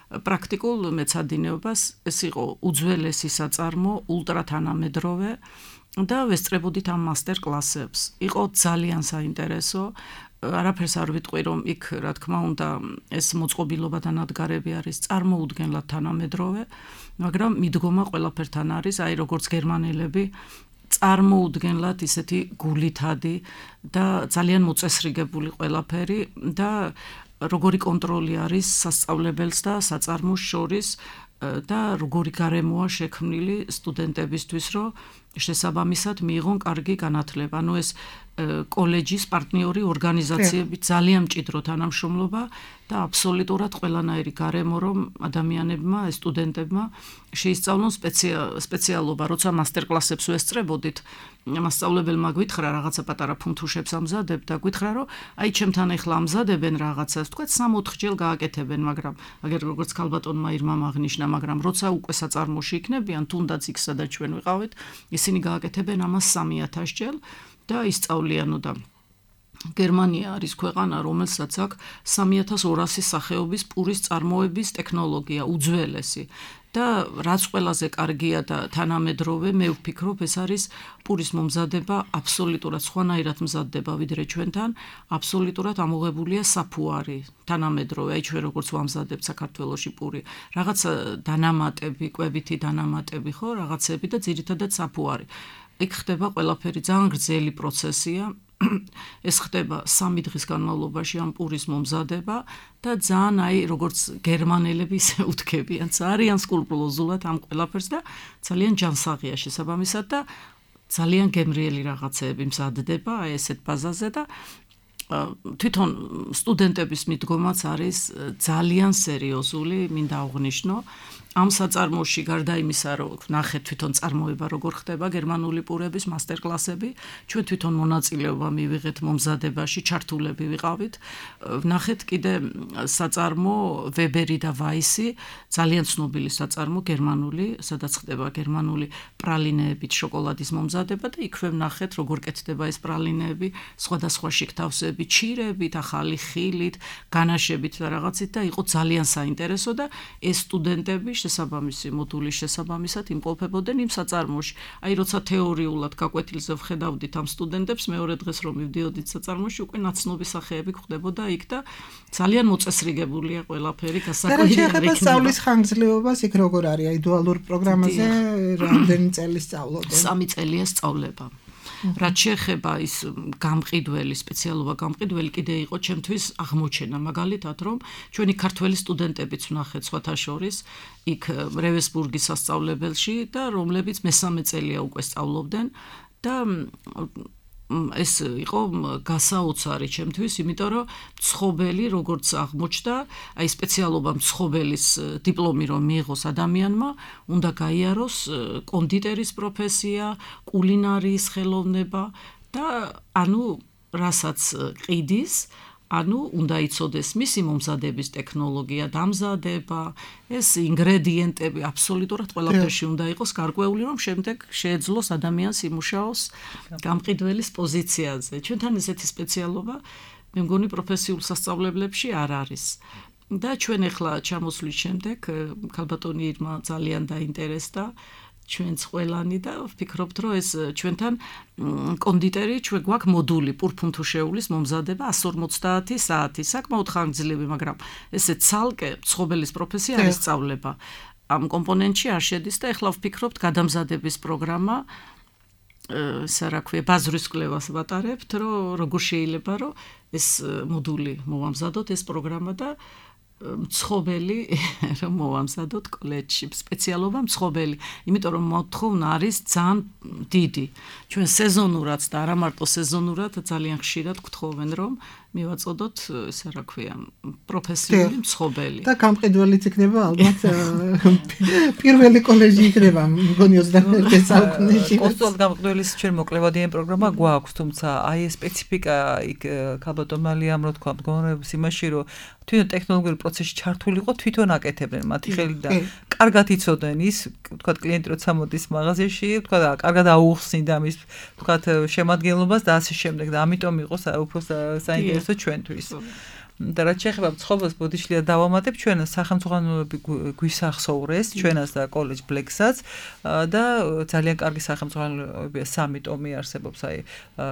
პრაქტიკულ მეცადინეობას. ეს იყო უძველესი საწარმო, ულტრათანამედროვე და ვესწრებოდით ამ მასტერ კლასებს. იყო ძალიან საინტერესო. არაფერს არ ვიტყვი, რომ იქ, რა თქმა უნდა, ეს მოწყობილობა და ნადგარები არის წარმოუდგენლად თანამედროვე, მაგრამ მიდგომა ყველაფერთან არის, აი როგორც გერმანელები წარმოუდგენლად ისეთი გულითადი და ძალიან მოწესრიგებული ყველაფერი და როგორი კონტროლი არის სასწავლებელს და საწარმოს შორის და როგორი გარემოა შექმნილი სტუდენტებისთვის, რომ შესაბამისად მიიღონ კარგი განათლება. ანუ ეს კოლეჯის პარტნიორი ორგანიზაციები ძალიან მჭიდრო თანამშრომლობა და აბსოლუტურად ყველანაირი გარემო, რომ ადამიანებმა, სტუდენტებმა შეისწავლონ სპეციალობა. როცა მასტერ კლასებს ვესწრებოდით, მასწავლებელმა გვითხრა რაღაცა პატარა ფუნთუშებს ამზადებ და გვითხრა, რომ აი ჩემთან ახლა ამზადებენ რაღაცას, თქვა 3-4 ჯერ გააკეთებენ, მაგრამ აგერ როგორც ქალბატონმა ირმამ აღნიშნა, მაგრამ როცა უკვე საწარმოში იქნებიან, თუნდაც იქ სადაც ჩვენ ვიყავით, ისინი გააკეთებენ ამას 3000 ჯერ და ისწავლიანო და გერმანია არის ქვეყანა, რომელსაც აქვს 3200 სახეობის პურის წარმოების ტექნოლოგია, უძველესი. და რაც ყველაზე კარგია და თანამედროვე, მე ვფიქრობ, ეს არის პურის მომზადება აბსოლუტურად სხვანაირად მზადდება ვიდრე ჩვენთან, აბსოლუტურად ამოღებულია საფუარი, თანამედროვე, აი ჩვენ როგორც ვამზადებთ საქართველოში პური, რაღაც დანამატები, კვებითი დანამატები, ხო, რაღაცები და ძირითადად საფუარი. იქ ხდება ყველაფერი, ძალიან გრძელი პროცესია. ეს ხდება 3 დღის განმავლობაში ამ პურის მომზადება და ძალიან აი როგორც გერმანელები ისე უთქებიან, ძალიან სკრუპულოზულად ამ ყველაფერს და ძალიან ჯანსაღია შესაბამისად და ძალიან გემრიელი რაღაცეები მზადდება აი ესეთ ბაზაზე და თვითონ სტუდენტების მიდგომაც არის ძალიან სერიოზული, მინდა აღვნიშნო. ამ საწარმოში გარდა იმისა, რომ ნახეთ თვითონ წარმოება როგორ ხდება გერმანული პურების მასტერ კლასები, ჩვენ თვითონ მონაწილეობა მივიღეთ მომზადებაში, ჩართულები ვიყავით. ნახეთ კიდე საწარმო ვებერი და ვაისი, ძალიან ცნობილი საწარმო გერმანული, სადაც ხდება გერმანული პრალინეებით შოკოლადის მომზადება და იქვე ნახეთ როგორ კეთდება ეს პრალინეები, სხვადასხვა შიგთავსები, ჩირებით, ახალი ხილით, განაშებით და რაღაცით და იყო ძალიან საინტერესო და ეს სტუდენტები შესაბამისი მოდულის შესაბამისად იმყოფებოდნენ იმ საწარმოში. აი როცა თეორიულად გაკვეთილზე ვხედავდით ამ სტუდენტებს, მეორე დღეს რომ მივდიოდით საწარმოში, უკვე ნაცნობი სახეები გვხდებოდა იქ და ძალიან მოწესრიგებულია ყველაფერი, გასაკვირია იქნება. სწავლის ხანგრძლივობას იქ როგორ არის? აი დუალურ პროგრამაზე რამდენი წელი სწავლობენ? 3 წელია სწავლება. რაც შეეხება ის გამყიდველი, სპეციალობა გამყიდველი კიდე იყო ჩემთვის აღმოჩენა, მაგალითად, რომ ჩვენი ქართველი სტუდენტებიც ვნახეთ სხვათა შორის იქ რევესბურგის სასწავლებელში და რომლებიც მესამე წელია უკვე სწავლობდნენ და ეს იყო გასაოცარი ჩემთვის, იმიტომ რომ მცხოველი როგორც აღმოჩნდა, აი სპეციალობა მცხოველის დიპლომი რომ მიიღოს ადამიანმა, უნდა გაიაროს კონდიტერის პროფესია, კულინარიის ხელოვნება და ანუ რასაც ყიდის, ანუ უნდა იცოდეს მისი მომზადების ტექნოლოგია, დამზადება, ეს ინგრედიენტები აბსოლუტურად ყველაფერში უნდა იყოს გარკვეული, რომ შემდეგ შეეძლოს ადამიანს იმუშაოს გამყიდველის პოზიციაზე. ჩვენთან ესეთი სპეციალობა მე მგონი პროფესიულ სასწავლებლებში არ არის. და ჩვენ ახლა ჩამოსვლის შემდეგ ქალბატონი ირმა ძალიან დაინტერესდა ჩვენც ყველანი და ვფიქრობთ, რომ ეს ჩვენთან კონდიტერი, ჩვენ გვაქვს მოდული პურფუნთუშეულის მომზადება 150 საათი, საკმაოდ ხანგრძლივი, მაგრამ ესე ცალკე მცხოველის პროფესია არის სწავლება. ამ კომპონენტში არ შედის და ეხლა ვფიქრობთ გადამზადების პროგრამა რა ქვია ბაზრის კვლევას ვატარებთ, რომ როგორ შეიძლება რომ ეს მოდული მოვამზადოთ ეს პროგრამა და მცხოველი რომ მოვამზადოთ კოლეჯში სპეციალობა მცხოველი, იმიტომ რომ მოთხოვნა არის ძალიან დიდი. ჩვენ სეზონურად და არა მარტო სეზონურად ძალიან ხშირად გთხოვენ რომ მივაწოდოთ ესე რა ქვია პროფესიული მცხოველი. და გამყიდველიც იქნება ალბათ პირველი კოლეჯი იქნება მგონი 21 საუკუნეში. კონსტიტუციად გამყიდველის ჩვენ მოკლებადიანი პროგრამა გვაქვს, თუმცა აი ეს სპეციფიკა იქ ქალბატონალიამ რო თქვა მდგომარეობის იმაში რომ თვითონ ტექნოლოგიური პროცესში ჩართული იყო თვითონ აკეთებდნენ მათი ხელიდან. კარგად იცოდნენ ის, თქვა კლიენტი როცა მოდის მაღაზიაში, თქვა კარგად აუხსნიდა მის თქვა შემადგენლობას და ასე შემდეგ და ამიტომ იყო უფრო საინტერესო ჩვენთვის. და რაც შეეხება მცხოვრებს ბოდიშლია დავამატებ ჩვენ სახელმწიფოები გვისახსოვრეს ჩვენას და კოლეჯ ბლეკსაც და ძალიან კარგი სახელმწიფოებია 3 ტომი არსებობს აი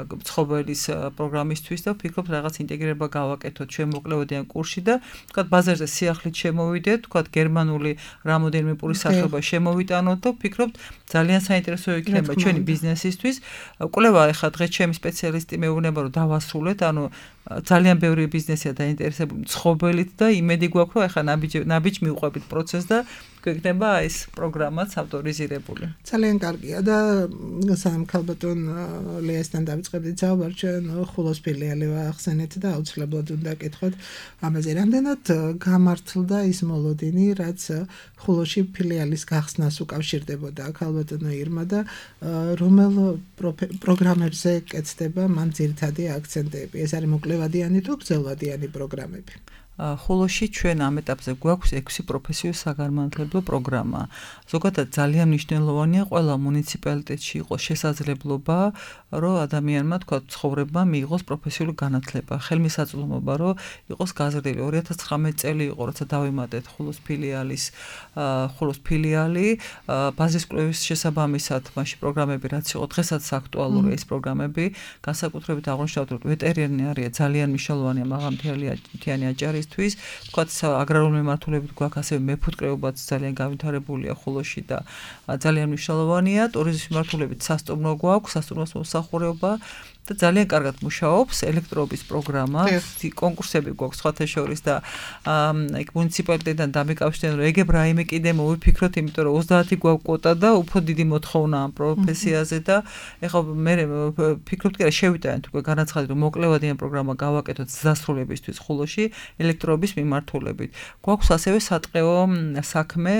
მცხოველის პროგრამისთვის და ვფიქრობ რაღაც ინტეგრირება გავაკეთოთ ჩვენ მოკლებადიან კურსში და თქვა ბაზარზე სიახლით შემოვიდეთ თქვა გერმანული რამოდენიმე პური სახეობა შემოვიტანოთ და ვფიქრობ ძალიან საინტერესო იქნება ჩვენი ბიზნესისთვის კვლევა ახლა დღეს ჩემი სპეციალისტი მეუბნება რომ დავასრულეთ ანუ ძალიან ბევრი ბიზნესია დაინტერესებული მცხოველით და იმედი გვაქვს რომ ახლა ნაბიჯ მივყვებით პროცესს და გვექნება ეს პროგრამაც ავტორიზირებული. ძალიან კარგია და სამხალბატონ ლეასთან დავიწყებდით საუბარ ჩვენ ხულოს ფილიალი ვახსენეთ და აუცილებლად უნდა კითხოთ ამაზე რამდენად გამართლდა ის მოლოდინი რაც ხულოში ფილიალის გახსნას უკავშირდებოდა ხალბატონო ირმა და რომელ პროგრამებზე კეთდება მან ძირითადი აქცენტები ეს არის მოკლებადიანი თუ გრძელვადიანი პროგრამები ხულოში ჩვენ ამ ეტაპზე გვაქვს 6 პროფესიულ საგანმანათლებლო პროგრამა. ზოგადად ძალიან მნიშვნელოვანია ყველა მუნიციპალიტეტში იყოს შესაძლებლობა, რომ ადამიანმა თქვა ცხოვრება მიიღოს პროფესიული განათლება. ხელმისაწვდომობა რომ იყოს გაზრდილი 2019 წელი იყო, როცა დავიმატეთ ხულოს ფილიალი, ბაზის კვლევის შესაბამისად მასში პროგრამები რაც იყო დღესაც აქტუალურია ეს პროგრამები, განსაკუთრებით აღნიშნავთ რომ ვეტერინარია ძალიან მნიშვნელოვანია მაღალმთიანი აჭარის თქვათ აგრარული მიმართულებით გვაქვს ასევე მეფუტკრეობაც ძალიან განვითარებულია ხულოში და ძალიან მნიშვნელოვანია ტურიზმის მიმართულებით სასტუმრო გვაქვს სასტუმროს მოსახურეობა და ძალიან კარგად მუშაობს ელექტროობის პროგრამა კონკურსები გვაქვს სხვათა შორის და იქ მუნიციპალიტეტთან დამიკავშირდნენ რომ ეგებ რაიმე კიდე მოვიფიქროთ იმიტომ რომ 30 გვაქვს კვოტა და უფრო დიდი მოთხოვნა ამ პროფესიაზე და ეხლა მე ვფიქრობთ კი რა შევიტანეთ უკვე განაცხადეთ რომ მოკლებადიან პროგრამა გავაკეთოთ დასრულებისთვის ხულოში ელექტროობის მიმართულებით გვაქვს ასევე სატყეო საქმე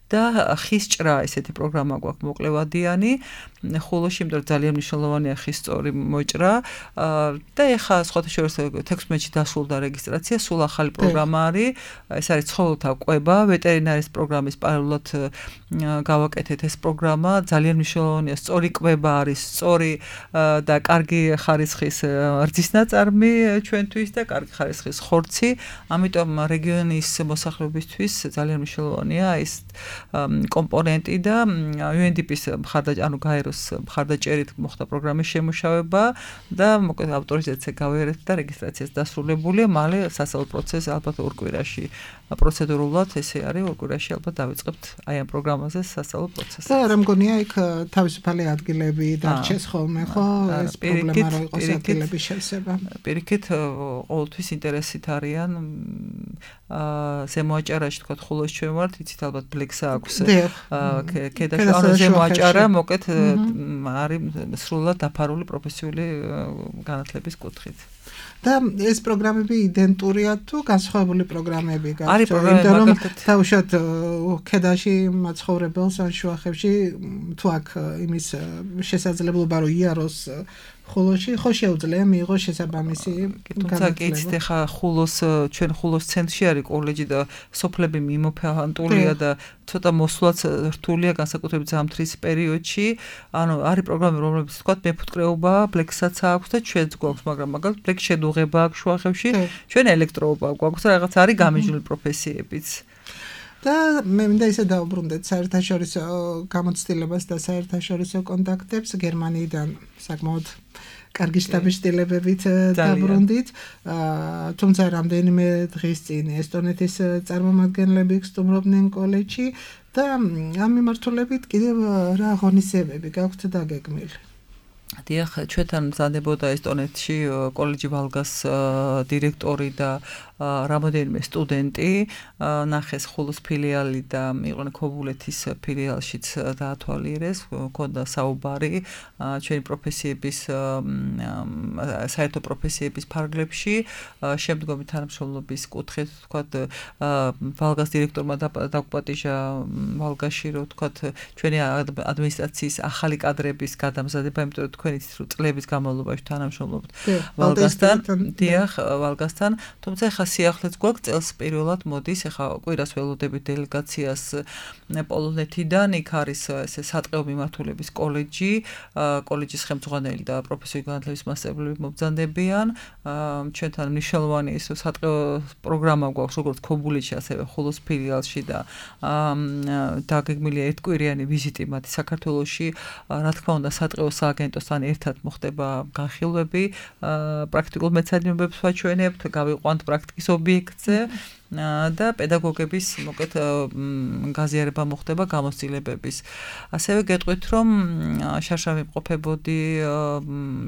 და ხის ჭრა ესეთი პროგრამა გვაქვს მოკლებადიანი ხულოში იმიტომ ძალიან მნიშვნელოვანია ხის სწორი მოჭრა და ეხლა სხვათა შორის 16-ში დასრულდა რეგისტრაცია სულ ახალი პროგრამა არის ეს არის ცხოველთა კვება ვეტერინარის პროგრამის პარალელურად გავაკეთეთ ეს პროგრამა ძალიან მნიშვნელოვანია სწორი კვება არის სწორი და კარგი ხარისხის რძის ნაწარმი ჩვენთვის და კარგი ხარისხის ხორცი ამიტომ რეგიონის მოსახლეობისთვის ძალიან მნიშვნელოვანია ეს კომპონენტი და UNDP-ის ანუ გაეროს მხარდაჭერით მოხდა პროგრამის შემუშავება და მოკლედ ავტორიზაცია გავიარეთ და რეგისტრაციაც დასრულებულია მალე სასწავლო პროცესი ალბათ ორ კვირაში პროცედურულად ესე არის ორ კვირაში ალბათ დავიწყებთ აი ამ პროგრამაზე სასწავლო პროცესი და რა მგონია იქ თავისუფალი ადგილები დარჩეს ხოლმე ხო ეს პრობლემა რო იყოს ადგილების შევსება პირიქით ყოველთვის ინტერესით არიან ზემოაჭარაში თქვა ხულოს ჩვენ ვართ იცით ალბათ ბლექსა აქვს ქედაში ანუ ზემოაჭარა მოკეთ არის სრულად დაფარული პროფესიული განათლების კუთხით და ეს პროგრამები იდენტურია თუ განსხვავებული პროგრამები გაქვს არის პროგრამები თავშოთ ქედაში მაცხოვრებელს ან შუახევში თუ აქ იმის შესაძლებლობა რომ იაროს ხულოში ხო შეუძლია მიიღოს შესაბამისი თუმცა კი იცით ახლა ხულოს ჩვენ ხულოს ცენტრში არის კოლეჯი და სოფლები მიმოფანტულია და ცოტა მოსვლაც რთულია განსაკუთრებით ზამთრის პერიოდში ანუ არის პროგრამები რომლებიც თქვა მეფუტკრეობა ბლექსაც აქვს და ჩვენც გვაქვს მაგრამ მაგალითად ბლექ შედუღება აქვს შუახევში ჩვენ ელექტროობა გვაქვს რაღაც არის გამიჯნული პროფესიებიც და მე მინდა ისე დაუბრუნდეთ საერთაშორისო გამოცდილებას და საერთაშორისო კონტაქტებს გერმანიიდან საკმაოდ კარგი შტაბ-შტილებებით დაბრუნდით. თუმცა რამდენიმე დღის წინ ესტონეთის წარმომადგენლები სტუმრობდნენ კოლეჯში და ამ მიმართულებით კიდევ რა ღონისძიებები გაქვთ დაგეგმილი? დიახ, ჩვენთან მზადდებოდა ესტონეთში კოლეჯი ვალგას დირექტორი და რამოდენიმე სტუდენტი, ნახეს ხულოს ფილიალი და იყვნენ ქობულეთის ფილიალშიც დაათვალიერეს, ჰქონდა საუბარი ჩვენი პროფესიების საერთო პროფესიების ფარგლებში, შემდგომი თანამშრომლობის კუთხით, ვთქვათ, ვალგას დირექტორმა დაგუპატიჟა ვალგაში, რომ ვთქვათ, ჩვენი ადმინისტრაციის ახალი კადრების გადამზადება, იმიტომ რომ თქვენი წლების განმავლობაში თანამშრომლობთ ვალგასთან, დიახ, ვალგასთან, თუმცა ხა სიახლეც გვაქვს წელს პირველად მოდის, ახლა კვირას ველოდებით დელეგაციას პოლონეთიდან, იქ არის ესე სატყეო მიმართულების კოლეჯი, კოლეჯის ხელმძღვანელი და პროფესიული განათლების მასწავლებლები მობრძანდებიან. ჩვენთან მნიშვნელოვანი ის სატყეო პროგრამა გვაქვს როგორც ქობულეთში, ასევე ხულოს ფილიალში და დაგეგმილია ერთკვირიანი ვიზიტი მათი საქართველოში. რა თქმა უნდა, სატყეო სააგენტოსთან ერთად მოხდება განხილვები, პრაქტიკულ მეცადინეობებს ვაჩვენებთ, გავიყვანთ პრაქტიკის ობიექტზე და პედაგოგების მოკეთ გაზიარება მოხდება გამოცდილებების. ასევე გეტყვით, რომ შარშავი მყოფებოდი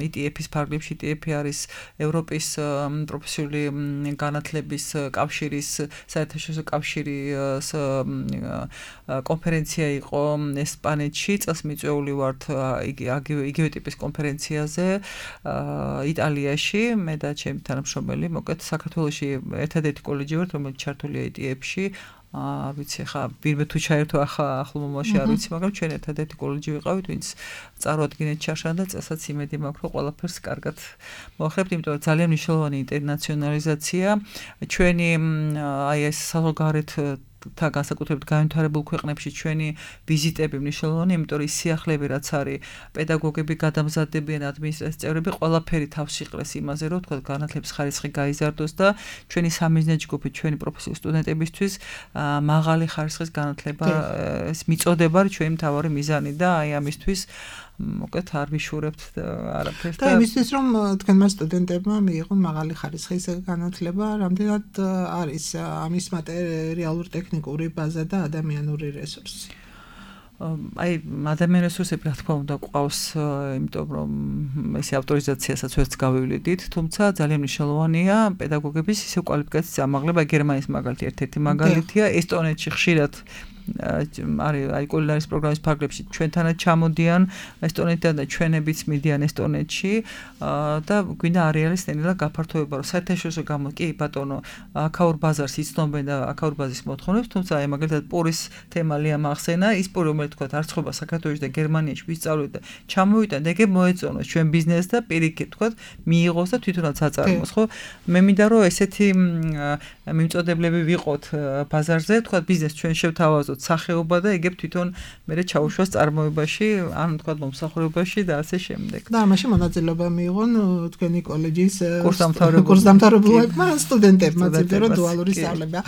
ETF-ის ფარგლებში, ETF არის ევროპის პროფესიული განათლების კავშირის საერთაშორისო კავშირის კონფერენცია იყო ესპანეთში, წელს მიწვეული ვართ იგივე ტიპის კონფერენციაზე იტალიაში, მე და ჩემი თანამშრომელი, მოკეთ საქართველოში ერთადერთი კოლეჯი ვართ, რომელიც ჩართულია ETF-ში. არ ვიცი, ხა ვინმე თუ ჩაერთო ახლო მომავალში არ ვიცი, მაგრამ ჩვენ ერთადერთი კოლეჯი ვიყავით, ვინც წარუადგინეთ ჩაშან და წელსაც იმედი მაქვს, რომ ყველაფერს კარგად მოახერხებთ, იმიტომ რომ ძალიან მნიშვნელოვანი ინტერნაციონალიზაცია. ჩვენი აი ეს საზღვარგარეთ თან განსაკუთრებით განვითარებულ ქვეყნებში ჩვენი ვიზიტები მნიშვნელოვანი, იმიტომ რომ ის სიახლეები რაც არის, პედაგოგები გადამზადდებიან, ადმინისტრაციის წევრები, ყველაფერი თავს იყრეს იმაზე, რომ თქვა განათლების ხარისხი გაიზარდოს და ჩვენი სამიზნე ჯგუფი, ჩვენი პროფესიული სტუდენტებისთვის მაღალი ხარისხის განათლება ეს მიწოდება არის ჩვენი მთავარი მიზანი და აი ამისთვის მოკეთ არ ვიშურებთ არაფერს და იმისთვის რომ თქვენმა სტუდენტებმა მიიღონ მაღალი ხარისხის განათლება, რამდენად არის ამის მატერიალურ ტექნიკური ბაზა და ადამიანური რესურსი? აი ადამიანური რესურსები რა თქმა უნდა გვყავს, იმიტომ რომ ესე ავტორიზაციასაც ვერც გავივლიდით, თუმცა ძალიან მნიშვნელოვანია პედაგოგების ისე კვალიფიკაციის ამაღლება. გერმანიის მაგალითი ერთ-ერთი მაგალითია, ესტონეთში ხშირად აი კულინარიის პროგრამის ფარგლებში ჩვენთანაც ჩამოდიან ესტონეთიდან და ჩვენებიც მიდიან ესტონეთში და გვინდა არეალის ნელა გაფართოება, რომ საერთაშორისო კი ბატონო აქაურ ბაზარს იცნობენ და აქაურ ბაზის მოთხოვნებს, თუმცა აი მაგალითად პურის თემა ლიამ ახსენა, ის პური რომელიც თქვა არ ცხობა საქართველოში და გერმანიაში ვისწავლეთ და ჩამოვიტან და ეგ მოეწონოს ჩვენ ბიზნესს და პირიქით თქვა მიიღოს და თვითონაც აწარმოოს, ხო? მე მინდა რომ ესეთი მიმწოდებლები ვიყოთ ბაზარზე, თქვა ბიზნეს ჩვენ შევთავაზოთ სახეობა და ეგებ თვითონ მე ჩაუშვას წარმოებაში, ან თქვა მომსახურებაში და ასე შემდეგ. და ამაში მონაწილეობა მიიღონ თქვენი კოლეჯის კურსდამთავრებულებმა, სტუდენტებმა, ძირითადად რომ დუალური სწავლება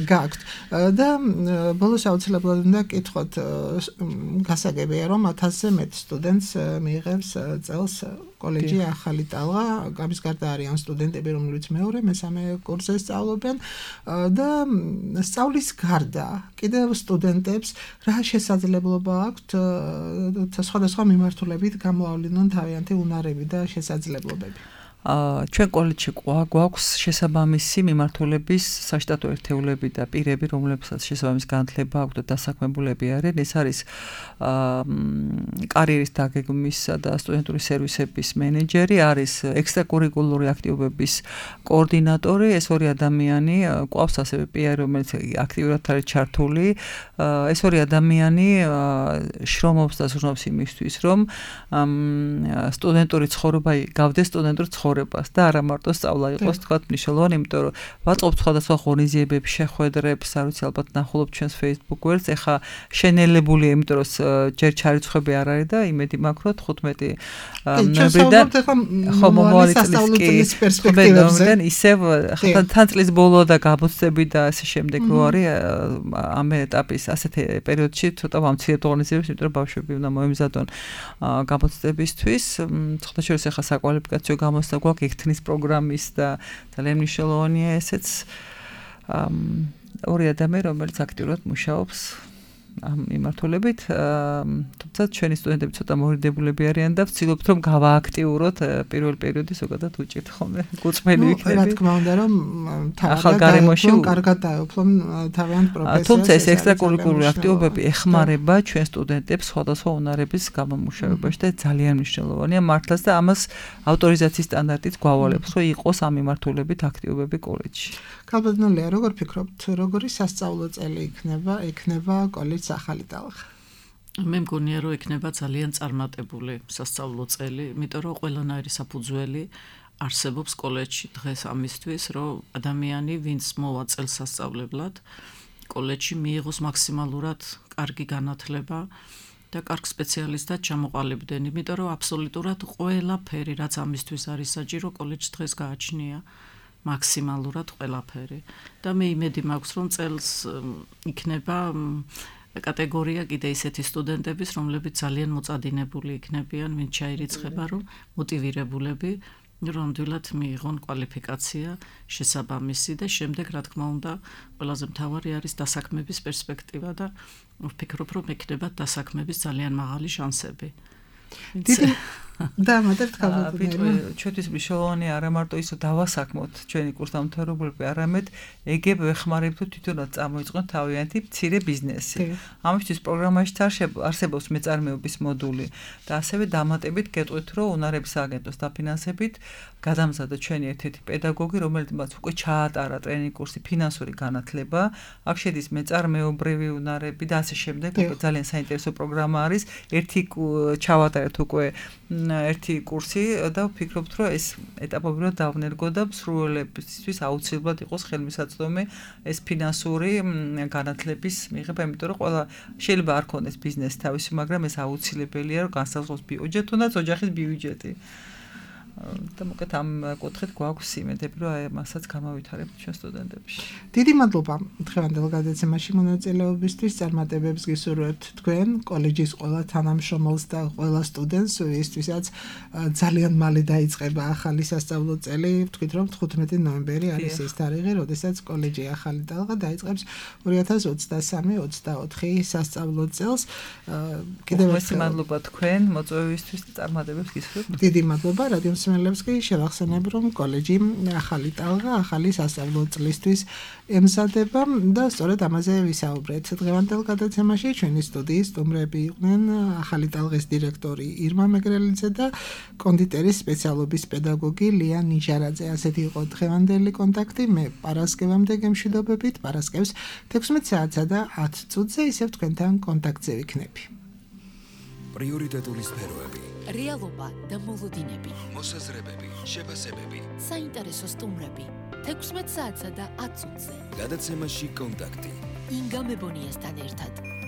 გაქვთ. და ბოლოს აუცილებლად უნდა კითხოთ, გასაგებია რომ 1000-ზე მეტ სტუდენტს მიიღებს წელს კოლეჯი ახალი ტალღა, ამის გარდა არიან სტუდენტები, რომლებიც მეორე, მესამე კურსზე სწავლობენ და სწავლის გარდა კიდევ სტუდენტებს რა შესაძლებლობა აქვთ სხვადასხვა მიმართულებით გამოავლინონ თავიანთი უნარები და შესაძლებლობები? ჩვენ კოლეჯში გვაქვს შესაბამისი მიმართულების საშტატო ერთეულები და პირები, რომლებსაც შესაბამის განათლება აქვთ და დასაქმებულები არიან. ეს არის კარიერის დაგეგმვისა და სტუდენტური სერვისების მენეჯერი, არის ექსტრაკურიკულური აქტივობების კოორდინატორი, ეს ორი ადამიანი, გვყავს ასევე PR, რომელიც აქტიურად არის ჩართული. ეს ორი ადამიანი შრომობს და ზრუნავს იმისთვის, რომ სტუდენტური ცხოვრება გავდეს სტუდენტური ცხოვრება ცხოვრებას და არა მარტო სწავლა იყოს თქვათ მნიშვნელოვანი, იმიტომ რომ ვაწყობთ სხვადასხვა ღონისძიებებს, შეხვედრებს, არ ვიცი ალბათ ნახულობთ ჩვენს Facebook გვერდს, ეხა შენელებულია, იმიტომ რომ ჯერ ჩარიცხვები არ არის და იმედი მაქვს რომ 15 ნოემბრიდან ხო მომავალი წლის პერსპექტივებიდან ისევ თან წლის ბოლო და გამოცდები და ასე შემდეგ რო არის ამ ეტაპის ასეთი პერიოდში ცოტა ვამცირებთ ღონისძიებებს, იმიტომ რომ ბავშვები უნდა მოემზადონ გამოცდებისთვის. Ცოტაშორის ახლა საკვალიფიკაციო გამოცდა გვაქვს ექთნის პროგრამის და ძალიან მნიშვნელოვანია ესეც ორი ადამიანი რომელიც აქტიურად მუშაობს ამ მიმართულებით, თუმცა ჩვენი სტუდენტები ცოტა მორიდებულები არიან და ვცდილობთ რომ გავააქტიუროთ პირველ პერიოდი ზოგადად უჭირთ ხოლმე გუწმელი იქნება. რა თქმა უნდა რომ თავი კარგად დაეუფლონ თავიანთ პროფესიას. თუმცა ეს ექსტრაკურიკულური აქტივობები ეხმარება ჩვენ სტუდენტებს სხვადასხვა უნარების გამომუშავებაში და ძალიან მნიშვნელოვანია მართლაც და ამას ავტორიზაციის სტანდარტიც გვავალებს რომ იყოს ამ მიმართულებით აქტივობები კოლეჯში. გაბედნულია როგორ ფიქრობთ როგორი სასწავლო წელი იქნება კოლეჯის ახალი ტალღა? მე მგონია რომ იქნება ძალიან წარმატებული სასწავლო წელი, იმიტომ რომ ყველანაირი საფუძველი არსებობს კოლეჯში დღეს ამისთვის, რომ ადამიანი, ვინც მოვა წელსასწავლებლად, კოლეჯში მიიღოს მაქსიმალურად კარგი განათლება და კარგ სპეციალისტად ჩამოყალიბდნენ, იმიტომ რომ აბსოლუტურად ყველაფერი, რაც ამისთვის არის საჭირო, კოლეჯს დღეს გააჩნია. მაქსიმალურად ყველაფერი და მე იმედი მაქვს რომ წელს იქნება კატეგორია კიდე ისეთი სტუდენტების რომლებიც ძალიან მოწადინებული იქნებიან ვინც ჩაირიცხება რომ მოტივირებულები რომ ნამდვილად მიიღონ კვალიფიკაცია შესაბამისი და შემდეგ რა თქმა უნდა ყველაზე მთავარი არის დასაქმების პერსპექტივა და ვფიქრობ რომ ექნება დასაქმების ძალიან მაღალი შანსები. და მაგათ გავაკეთე. ჩვენთვის მნიშვნელოვანი არა მარტო ის რომ დავასაქმოთ ჩვენი კურსდამთავრებულები, არამედ ეგებ ვეხმარებთ თვითონაც წარმოიწყოთ თავიანთი მცირე ბიზნესი. ამისთვის პროგრამაში არსებობს მეწარმეობის მოდული და ასევე დამატებით გეტყვით რომ უნარების აგენტოს დაფინანსებით გადამზადდა ჩვენი ერთ-ერთი პედაგოგი, რომელიც უკვე ჩაატარა ტრენინგ კურსი ფინანსური განათლება, აქ შედის მეწარმეობრივი უნარები და ასე შემდეგ. ძალიან საინტერესო პროგრამა არის. ერთი ჩავატარეთ უკვე ერთი კურსი და ვფიქრობთ რომ ეს ეტაპობრივად დავნერგო და მსურველებისთვის აუცილებლად იყოს ხელმისაწვდომი ეს ფინანსური განათლების მიღება, იმიტომ რომ ყველა შეიძლება არ ქონდეს ბიზნესი თავისი, მაგრამ ეს აუცილებელია რომ განსაზღვროს ბიუჯეტი, თუნდაც ოჯახის ბიუჯეტი. და მოკეთ ამ კუთხით გვაქვს იმედები რომ აი მასაც გამავითარებთ ჩვენ სტუდენტებში. დიდი მადლობა დღევანდელ გადაცემაში მონაწილეობისთვის, წარმატებებს გისურვებთ თქვენ კოლეჯის ყველა თანამშრომელს და ყველა სტუდენტს, ვისთვისაც ძალიან მალე დაიწყება ახალი სასწავლო წელი. ვთქვით რომ 15 ნოემბერი არის ის თარიღი, როდესაც კოლეჯი ახალი ტალღა დაიწყებს 2023-24 სასწავლო წელს. კიდევ ერთხელ მადლობა თქვენ მოწვევისთვის და წარმატებებს გისურვებთ. დიდი მადლობა რადიო მსმენელებს კი შევახსენებ რომ კოლეჯი ახალი ტალღა ახალი სასწავლო წლისთვის ემზადება და სწორედ ამაზე ვისაუბრეთ. დღევანდელ გადაცემაში ჩვენი სტუდიის სტუმრები იყვნენ ახალი ტალღის დირექტორი ირმა მეგრელიძე და კონდიტერის სპეციალობის პედაგოგი ლია ნიჟარაძე. ასეთი იყო დღევანდელი კონტაქტი. მე პარასკევამდე გემშვიდობებით, პარასკევს 16 საათსა და 10 წუთზე ისევ თქვენთან კონტაქტზე ვიქნები. პრიორიტეტული სფეროები, რეალობა და მოლოდინები, მოსაზრებები, შეფასებები, საინტერესო სტუმრები 16 საათსა და 10 წუთზე. გადაცემაში კონტაქტი. ინგა მებონიასთან ერთად.